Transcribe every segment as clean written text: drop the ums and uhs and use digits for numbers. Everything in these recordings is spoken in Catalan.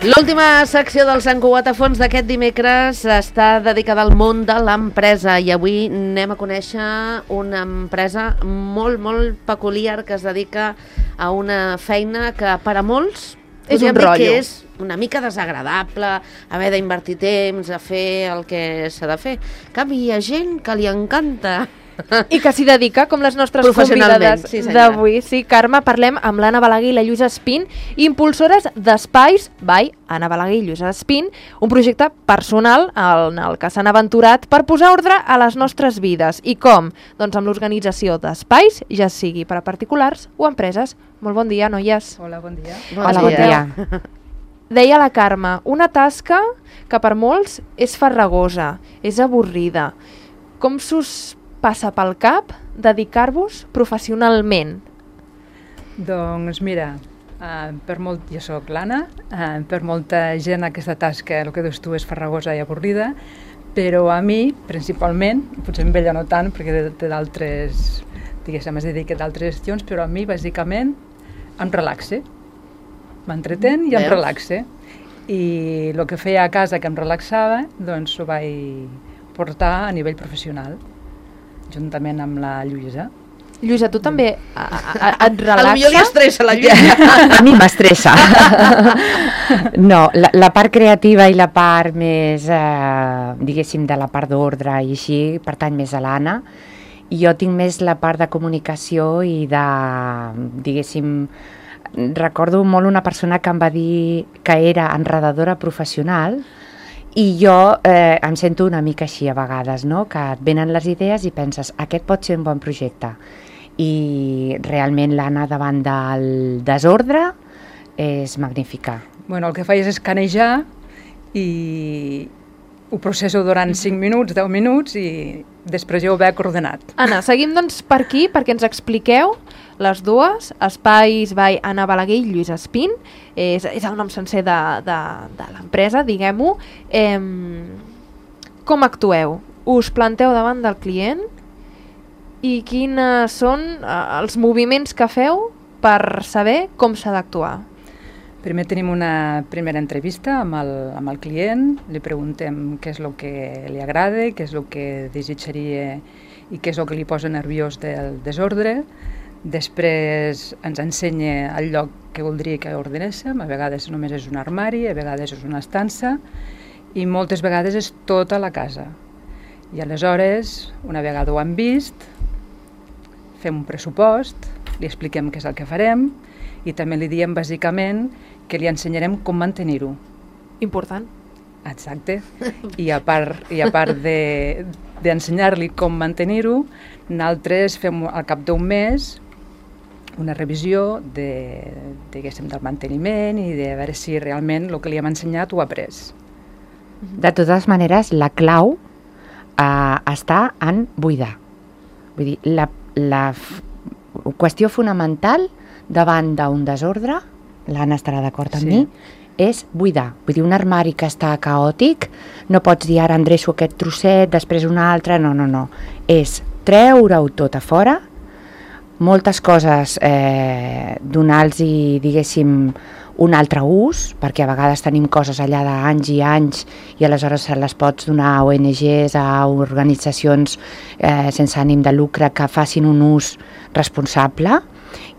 L'última secció del Sant Cugat a fons d'aquest dimecres està dedicada al món de l'empresa i avui anem a conèixer una empresa molt, molt peculiar que es dedica a una feina que per a molts és un rotllo. Que és una mica desagradable haver d'invertir temps a fer el que s'ha de fer. En canvi, hi ha gent que li encanta. I que s'hi dedica, com les nostres convidades d'avui. Sí, Carme, parlem amb l'Anna Balaguer i la Lluïsa Espín, impulsores d'Espais by Anna Balaguer i Lluïsa Espín, un projecte personal en el que s'han aventurat per posar ordre a les nostres vides. I com? Doncs amb l'organització d'espais, ja sigui per a particulars o empreses. Molt bon dia, noies. Hola, bon dia. Hola, bon dia. Deia la Carme, una tasca que per molts és farragosa, és avorrida. Com s'us passa pel cap dedicar-vos professionalment? Doncs mira, jo soc l'Anna, per molta gent aquesta tasca, el que dius tu, és farragosa i avorrida, però a mi, principalment, potser amb ella no tant, perquè té d'altres, diguéssim, es dedica a d'altres gestions, però a mi, bàsicament, em relaxe. M'entretén i em relaxe. I el que feia a casa que em relaxava, doncs ho vaig portar a nivell professional, juntament amb la Lluïsa. Lluïsa, tu també et relaxa? A lo millor li estressa la Lluïsa. A mi m'estressa. No, la part creativa i la part més, diguéssim, de la part d'ordre i així, pertany més a l'Anna. I jo tinc més la part de comunicació i de, diguéssim, recordo molt una persona que em va dir que era enredadora professional. I jo em sento una mica així a vegades, no? Que et venen les idees i penses, aquest pot ser un bon projecte. I realment l'Anna davant del desordre és magnífica. Bueno, el que faig és escanejar i ho processo durant 5 minuts, 10 minuts i després ja ho veig ordenat. Anna, seguim doncs per aquí perquè ens expliqueu les dues, Espais by Anna Balaguer i Lluïsa Espín, és el nom sencer de l'empresa, diguem-ho. Com actueu? Us planteu davant del client i quins són els moviments que feu per saber com s'ha d'actuar? Primer tenim una primera entrevista amb el client, li preguntem què és el que li agrada, què és el que desitjaria i què és el que li posa nerviós del desordre. Després ens ensenya el lloc que voldria que ordenéssim, a vegades només és un armari, a vegades és una estança i moltes vegades és tota la casa. I aleshores, una vegada ho hem vist, fem un pressupost, li expliquem què és el que farem i també li diem bàsicament que li ensenyarem com mantenir-ho. Important. Exacte. I a part d'ensenyar-li com mantenir-ho, nosaltres fem al cap d'un mes una revisió diguéssim, del manteniment i de veure si realment el que li hem ensenyat ho ha après. De totes maneres, la clau està en buidar. Vull dir, la qüestió fonamental davant d'un desordre, l'Anna estarà d'acord amb mi, és buidar. Vull dir, un armari que està caòtic, no pots dir ara endreço aquest trosset, després un altre, no. És treure-ho tot a fora, moltes coses donar-los, diguéssim, un altre ús, perquè a vegades tenim coses allà d'anys i anys i aleshores se les pots donar a ONGs, a organitzacions sense ànim de lucre que facin un ús responsable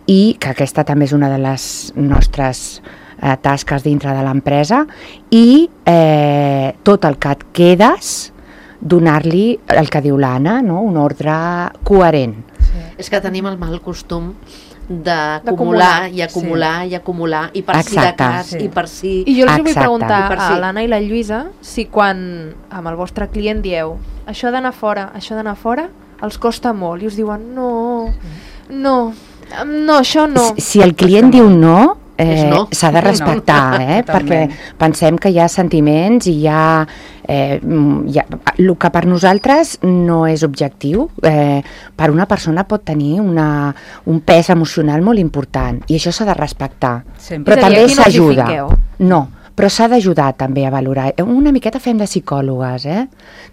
i que aquesta també és una de les nostres tasques dintre de l'empresa i tot el que et quedes donar-li el que diu l'Anna, no? Un ordre coherent. És que tenim el mal costum d'acumular i acumular i acumular i per si de cas i per si... I jo els vull preguntar a l'Anna i la Lluïsa si quan amb el vostre client dieu això d'anar fora, els costa molt i us diuen no, això no. Si el client diu no, s'ha de respectar, perquè pensem que hi ha sentiments i hi ha el que per nosaltres no és objectiu, per una persona pot tenir un pes emocional molt important i això s'ha de respectar. Però també s'ajuda. No, però s'ha d'ajudar també a valorar. Una miqueta fem de psicòlogues,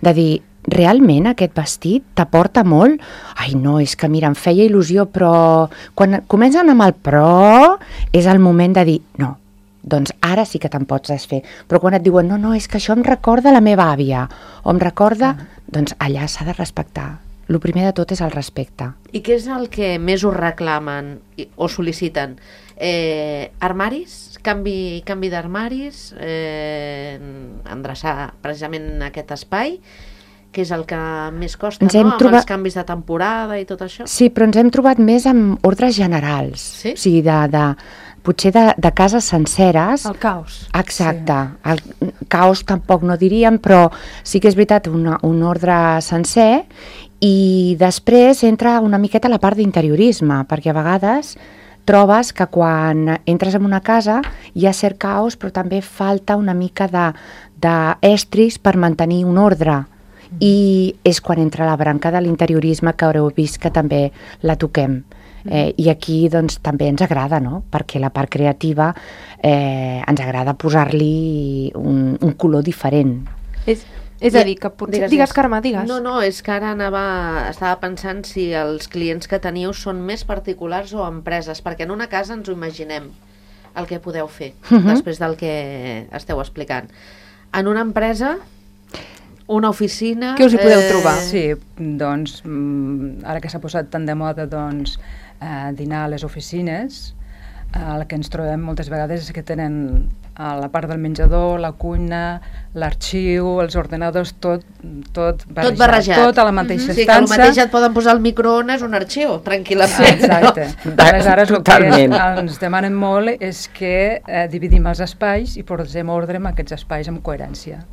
de dir, realment aquest vestit t'aporta molt? Ai no, és que mira, em feia il·lusió, però quan comencen amb el però és el moment de dir no, doncs ara sí que te'n pots desfer. Però quan et diuen, no, és que això em recorda la meva àvia, o em recorda, doncs allà s'ha de respectar. El primer de tot és el respecte. I què és el que més us reclamen o sol·liciten? Armaris? Canvi d'armaris? Endreçar precisament aquest espai? Que és el que més costa, no? Amb els canvis de temporada i tot això? Sí, però ens hem trobat més amb ordres generals. Sí? O sigui, potser de cases senceres. El caos. Exacte. Sí. El caos tampoc no diríem, però sí que és veritat un ordre sencer, i després entra una miqueta la part d'interiorisme, perquè a vegades trobes que quan entres en una casa hi ha cert caos, però també falta una mica d'estris per mantenir un ordre. I és quan entra la branca de l'interiorisme, que haureu vist que també la toquem. I aquí doncs, també ens agrada, no? Perquè la part creativa ens agrada posar-li un color diferent. És a dir, que potser... Digues, Carme, digues. No, és que ara estava pensant si els clients que teniu són més particulars o empreses, perquè en una casa ens ho imaginem, el que podeu fer, després del que esteu explicant. En una empresa, una oficina... Què us hi podeu trobar? Sí, doncs, ara que s'ha posat tan de moda, doncs, dinar a les oficines, el que ens trobem moltes vegades és que tenen a la part del menjador, la cuina, l'arxiu, els ordenadors, tot barrejat. Tot a la mateixa estança. Sí, que al mateix et poden posar al microones un arxiu, tranquil·lament. Sí, exacte. Aleshores, el que ens demanen molt és que dividim els espais i posem ordre en aquests espais amb coherència.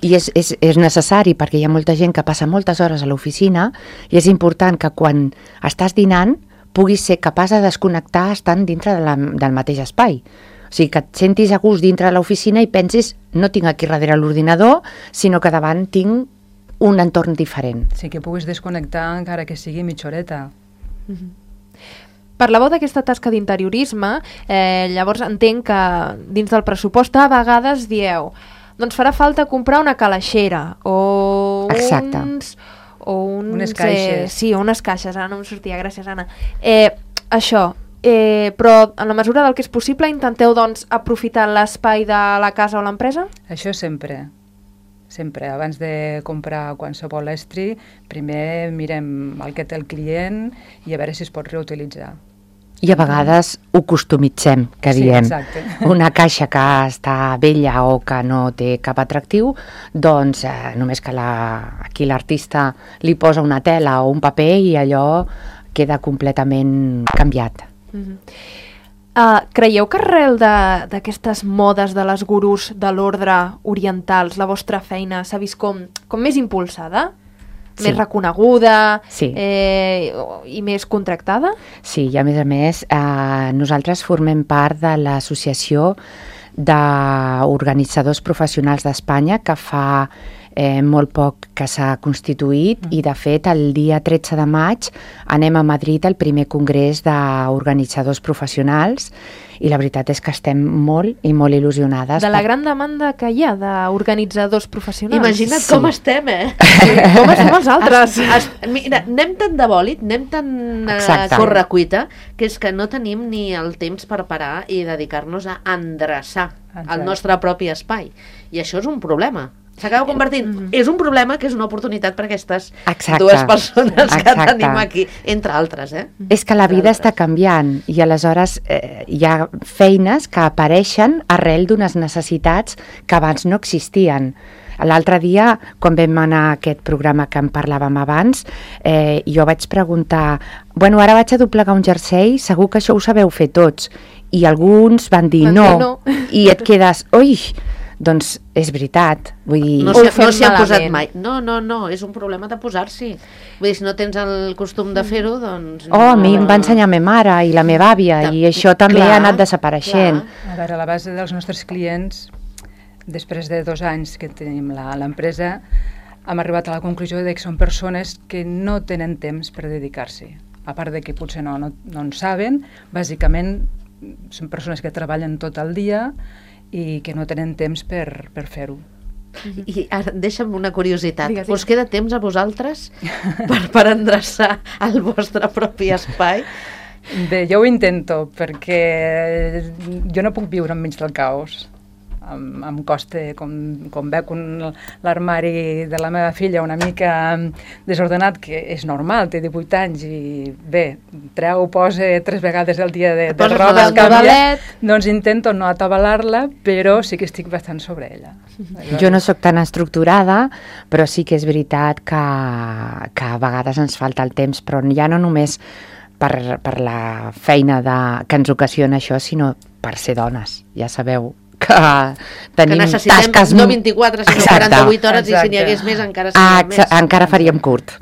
I és necessari, perquè hi ha molta gent que passa moltes hores a l'oficina, i és important que quan estàs dinant puguis ser capaç de desconnectar estant dintre del mateix espai. O sigui, que et sentis a gust dintre de l'oficina i pensis, no tinc aquí darrere l'ordinador, sinó que davant tinc un entorn diferent. Sí, que puguis desconnectar encara que sigui mitja horeta. Parlàveu d'aquesta tasca d'interiorisme, llavors entenc que dins del pressupost a vegades dieu, doncs farà falta comprar una calaixera o unes caixes. Sí, unes caixes, ara no em sortia, gràcies Anna. Això, però en la mesura del que és possible intenteu doncs aprofitar l'espai de la casa o l'empresa? Això sempre, abans de comprar qualsevol estri, primer mirem el que té el client i a veure si es pot reutilitzar. I a vegades ho customitzem, que diem. Exacte. Una caixa que està vella o que no té cap atractiu, doncs només que aquí l'artista li posa una tela o un paper i allò queda completament canviat. Creieu que arrel d'aquestes modes de les gurús de l'ordre orientals, la vostra feina s'ha vist com més impulsada? Més reconeguda i més contractada? Sí, i a més, nosaltres formem part de l'Associació d'Organitzadors Professionals d'Espanya, que fa molt poc que s'ha constituït, i de fet el dia 13 de maig anem a Madrid al primer congrés d'organitzadors professionals, i la veritat és que estem molt i molt il·lusionades. De la gran demanda que hi ha d'organitzadors professionals. Imagina't com estem, com estem els altres. Mira, anem tan de bòlit, anem tan a correcuita, que és que no tenim ni el temps per parar i dedicar-nos a endreçar el nostre propi espai. I això és un problema. S'acaba convertint. És un problema que és una oportunitat per aquestes dues persones que tenim aquí, entre altres. És que la vida està canviant i aleshores hi ha feines que apareixen arrel d'unes necessitats que abans no existien. L'altre dia, quan vam anar a aquest programa que en parlàvem abans, jo vaig preguntar, bueno, ara vaig a doblegar un jersei, segur que això ho sabeu fer tots. I alguns van dir no. I et quedes, ui, doncs és veritat, vull dir... No s'hi ha posat mai. No, és un problema de posar-s'hi. Vull dir, si no tens el costum de fer-ho, doncs... a mi em va ensenyar ma mare i la meva àvia, i això també ha anat desapareixent. A veure, a la base dels nostres clients, després de 2 anys que tenim l'empresa, hem arribat a la conclusió que són persones que no tenen temps per dedicar-s'hi. A part de que potser no en saben, bàsicament són persones que treballen tot el dia i que no tenen temps per fer-ho. I ara deixa'm una curiositat. Us queda temps a vosaltres per endreçar el vostre propi espai? Bé, jo ho intento, perquè jo no puc viure enmig del caos. Em costa, com veig l'armari de la meva filla una mica desordenat, que és normal, té 18 anys i bé, posa 3 vegades al dia de roba, doncs intento no atabalar-la, però sí que estic bastant sobre ella. Jo no sóc tan estructurada, però sí que és veritat que a vegades ens falta el temps, però ja no només per la feina que ens ocasiona això, sinó per ser dones, ja sabeu que tenim tasques... no 24, sinó 48 hores, i si n'hi hagués més encara seria més. Encara faríem curt.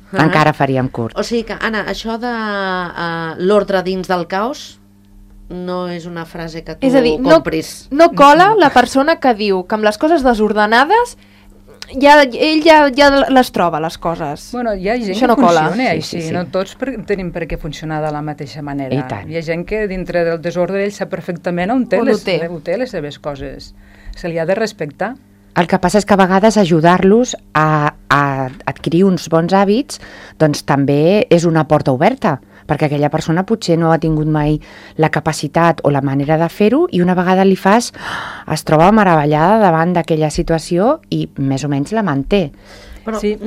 Encara faríem curt. O sigui que, Anna, això de l'ordre dins del caos no és una frase que tu compris. No cola la persona que diu que amb les coses desordenades ell ja les troba, les coses. Bueno, hi ha gent que funciona així, no tots tenim per què funcionar de la mateixa manera. Hi ha gent que dintre del desordre ell sap perfectament on té les seves coses. Se li ha de respectar. El que passa és que a vegades ajudar-los a adquirir uns bons hàbits doncs també és una porta oberta, perquè aquella persona potser no ha tingut mai la capacitat o la manera de fer-ho i una vegada li fas, es troba meravellada davant d'aquella situació i més o menys la manté. Però, sí,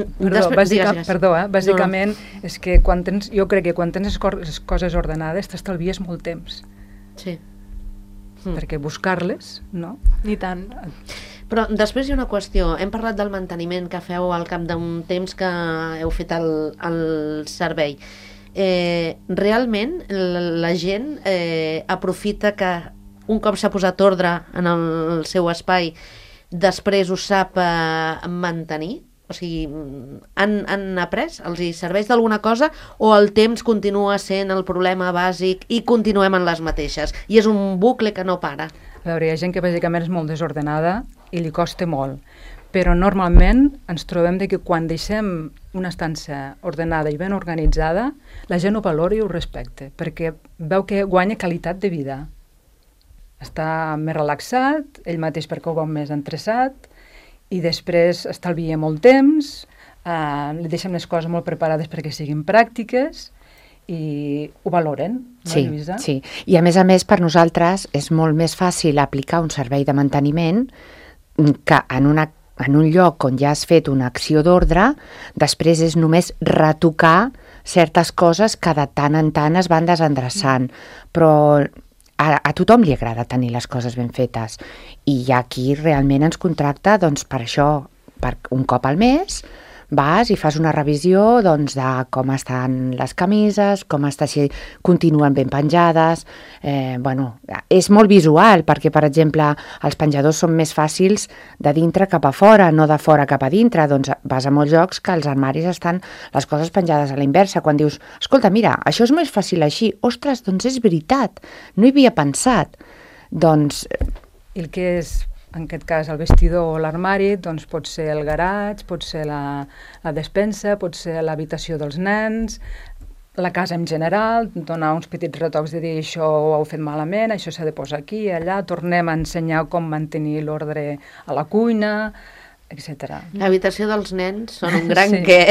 bàsicament és que jo crec que quan tens les coses ordenades t'estalvies molt temps. Sí. Perquè buscar-les, no? Ni tant. Però després hi ha una qüestió. Hem parlat del manteniment que feu al cap d'un temps que heu fet el servei. Realment la gent aprofita que un cop s'ha posat ordre en el seu espai després ho sap mantenir? O sigui, han après? Els hi serveix d'alguna cosa o el temps continua sent el problema bàsic i continuem en les mateixes? I és un bucle que no para. A veure, hi ha gent que bàsicament és molt desordenada i li costa molt. Però normalment ens trobem que quan deixem una estança ordenada i ben organitzada, la gent ho valora i ho respecta, perquè veu que guanya qualitat de vida. Està més relaxat, ell mateix perquè ho veu més endreçat, i després estalvia molt temps, li deixem les coses molt preparades perquè siguin pràctiques, i ho valoren, no, Lluïsa? Sí, i a més, per nosaltres és molt més fàcil aplicar un servei de manteniment que en un lloc on ja has fet una acció d'ordre, després és només retocar certes coses que de tant en tant es van desendreçant. Però a tothom li agrada tenir les coses ben fetes. I hi ha qui realment ens contracta doncs, per això, per un cop al mes, vas i fas una revisió doncs, de com estan les camises, com està, si continuen ben penjades. És molt visual, perquè, per exemple, els penjadors són més fàcils de dintre cap a fora, no de fora cap a dintre. Doncs vas a molts llocs que els armaris estan les coses penjades a la inversa. Quan dius, escolta, mira, això és més fàcil així. Ostres, doncs és veritat, no hi havia pensat. Doncs... I el que és... En aquest cas, el vestidor o l'armari, doncs pot ser el garatge, pot ser la despensa, pot ser l'habitació dels nens, la casa en general, donar uns petits retocs de dir això ho heu fet malament, això s'ha de posar aquí, allà, tornem a ensenyar com mantenir l'ordre a la cuina, etc. L'habitació dels nens són un gran què.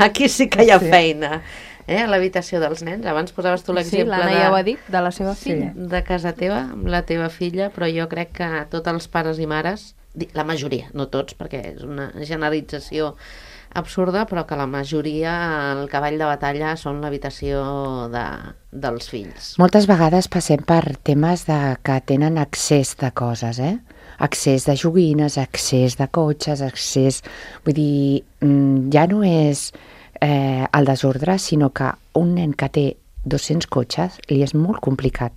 Aquí sí que hi ha feina. A l'habitació dels nens. Abans posaves tu l'exemple l'Anna ja ho ha dit, de la seva filla. De casa teva, amb la teva filla, però jo crec que tots els pares i mares, la majoria, no tots, perquè és una generalització absurda, però que la majoria, el cavall de batalla són l'habitació dels fills. Moltes vegades passem per temes que tenen accés de coses, accés de joguines, accés de cotxes, accés... Vull dir, ja no és... el desordre, sinó que un nen que té 200 cotxes li és molt complicat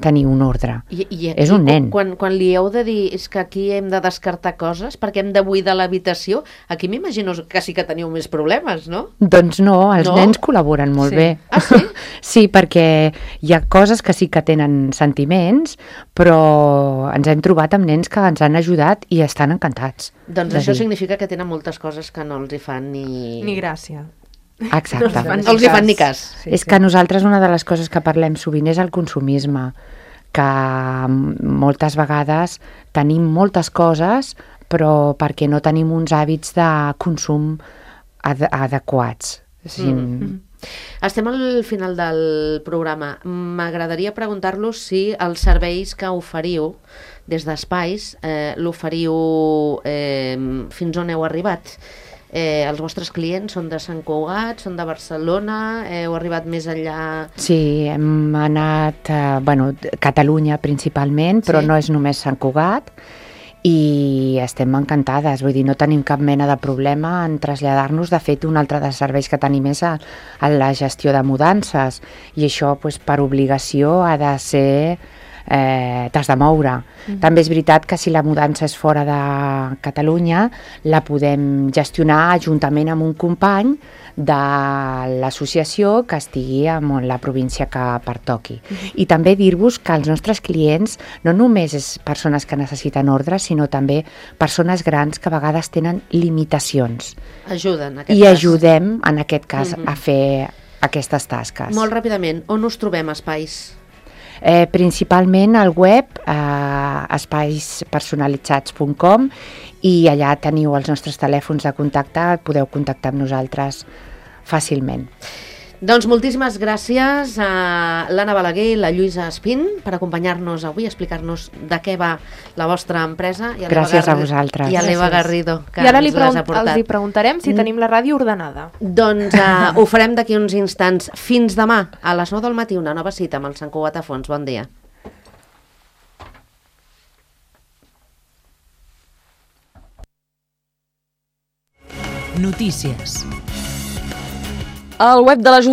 tenir un ordre. És un nen. Quan li heu de dir és que aquí hem de descartar coses perquè hem de buidar l'habitació, aquí m'imagino que sí que teniu més problemes, no? Doncs no, els nens col·laboren molt bé. Ah, sí? Sí, perquè hi ha coses que sí que tenen sentiments, però ens hem trobat amb nens que ens han ajudat i estan encantats. Doncs això significa que tenen moltes coses que no els hi fan ni gràcia. Exacte. No els hi fan ni cas. És que nosaltres una de les coses que parlem sovint és el consumisme, que moltes vegades tenim moltes coses però perquè no tenim uns hàbits de consum adequats. Estem al final del programa. M'agradaria preguntar-los si els serveis que oferiu des d'Espais l'oferiu fins on heu arribat. Els vostres clients són de Sant Cugat, són de Barcelona, heu arribat més enllà? Sí, hem anat a Catalunya principalment, però no és només Sant Cugat, i estem encantades, vull dir, no tenim cap mena de problema en traslladar-nos. De fet, un altre dels serveis que tenim és a la gestió de mudances, i això per obligació ha de ser... t'has de moure. També és veritat que si la mudança és fora de Catalunya la podem gestionar juntament amb un company de l'associació que estigui en la província que pertoqui. I també dir-vos que els nostres clients no només és persones que necessiten ordres, sinó també persones grans que a vegades tenen limitacions. Ajuden, en aquest cas. I ajudem, en aquest cas, a fer aquestes tasques. Molt ràpidament, on us trobem, Espais? Principalment al web espaispersonalitzats.com, i allà teniu els nostres telèfons de contacte, podeu contactar amb nosaltres fàcilment. Doncs moltíssimes gràcies a l'Anna Balaguer i la Lluïsa Espín per acompanyar-nos avui, explicar-nos de què va la vostra empresa. Gràcies a vosaltres. I a l'Eva Garrido, que I ara ens les ha portat. els hi preguntarem si tenim la ràdio ordenada. Doncs ho farem d'aquí uns instants. Fins demà, a les 9 del matí, una nova cita amb el Sant Cugat a Fons. Bon dia. Notícies. El web de l'Ajuntament